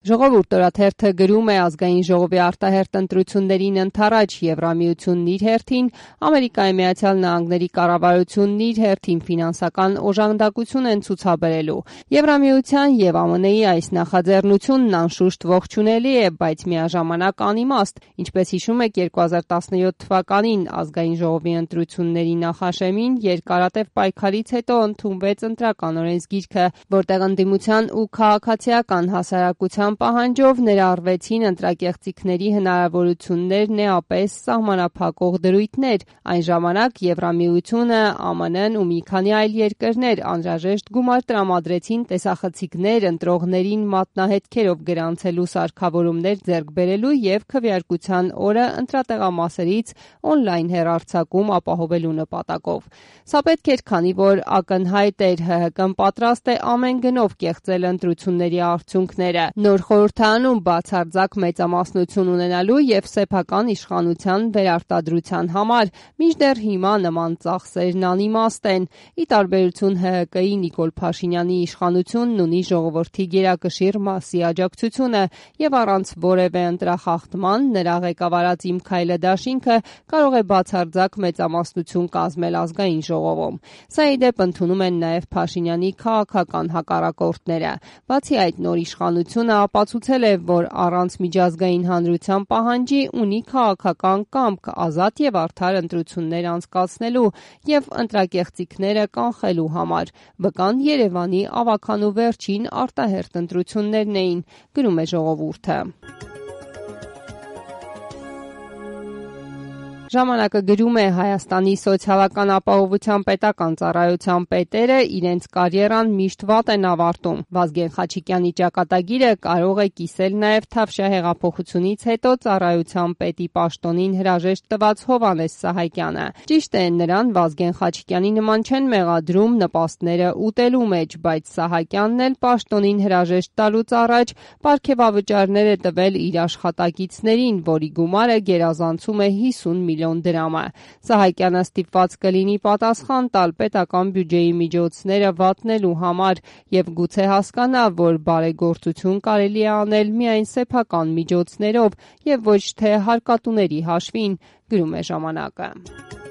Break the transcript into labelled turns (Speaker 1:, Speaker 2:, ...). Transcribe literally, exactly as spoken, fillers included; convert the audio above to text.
Speaker 1: Ժողովուրդ օրաթերթը գրում է ազգային ժողովի արտահերթ ընտրություններին ընդառաջ Եվրամիությունն իր հերթին, Ամերիկայի Միացյալ Նահանգների կառավարությունն իր հերթին ֆինանսական օժանդակություն են ցուցաբերելու։ Եվրամիության եւ Α Մ Ն-ի այս նախաձեռնությունն անշուշտ ողջունելի է, բայց միաժամանակ անիմաստ, ինչպես հիշում եք երկու հազար տասնյոթ թվականին ազգային ժողովի ընտրությունների նախաշեմին երկարատև պայքարից հետո ընդունվեց ընտրական օրենսգիրքը, որտեղ ընդդիմության ու քաղաքացիական հասարակության պահանջով ներառվեցին ընտրակեղծիքների հնարավորություններն էապես սահմանափակող դրույթներ։ Այն ժամանակ Եվրամիությունը, ಆ Մ Ն-ն ու մի քանի այլ երկրներ անհրաժեշտ գումար տրամադրեցին տեսախցիկներ ընտրողներին մատնահետքերով գրանցելու սարքավորումներ ձեռք բերելու եւ քվեարկության օրը ընտրատեղամասերից օնլայն հեռարձակում ապահովելու նպատակով։ Սա պետք էր, քանի որ ակնհայտ էր ՀՀԿ-ն պատրաստ է ամեն գնով կեղծել ընտրությունների արդյունքները, նոր խորհրդարանում բացարձակ մեծամասնություն ունենալու եւ սեփական իշխանության վերարտադրության համար, մինչդեռ հիմա նման ծախսերն անիմաստ են։ Ի տարբերություն ՀՀԿ-ի Նիկոլ Փաշինյանի իշխանությունն ունի ժողովրդի գերակշիռ մասի աջակցությունը եւ առանց որևէ ընտրախախտման նրա ղեկավարած Իմ քայլը դաշինքը կարող է բացարձակ մեծամասնություն կազմել ազգային ժողովում։ Սա ի դեպ ընդունում են նաեւ Փաշինյանի քաղաքական հակառակորդները։ Բացի այդ, նոր իշխանությունը ապացուցել է, որ առանց միջազգային հանրության պահանջի ունի քաղաքական կամք ազատ եւ արդար ընտրություններ անցկացնելու եւ ընտրակեղծիքները կանխելու համար։ Վկան Երևանի ավագանու վերջին արտահերթ ընտրություններն էին, գրում է Ժողովուրդը։ Ժամանակը գրում է Հայաստանի սոցիալական ապահովության պետական ծառայության պետերը իրենց կարիերան միշտ վատ են ավարտում։ Վազգեն Խաչիկյանի ճակատագիրը կարող է կիսել նաև Թավշյա հեղափոխությունից հետո ծառայության պետի պաշտոնին հրաժեշտ տված Հովհաննես Սահակյանը։ Ճիշտ է, նրան Վազգեն Խաչիկյանի նման չեն մեղադրում նպաստները ուտելու մեջ, բայց Սահակյանն էլ պաշտոնին հրաժեշտ տալուց առաջ պարգևավճարներ է տվել իր աշխատակիցներին, որի գումարը գերազանցում է հիսուն միլիոն դրամը։ Սահակյանը ստիպված կլինի պատասխան տալ պետական բյուջեի միջոցները վատնելու համար եւ գուցե հասկանա, որ բարեգործություն կարելի է անել միայն սեփական միջոցներով եւ ոչ թե հարկատուների հաշվին, գրում է Ժամանակը։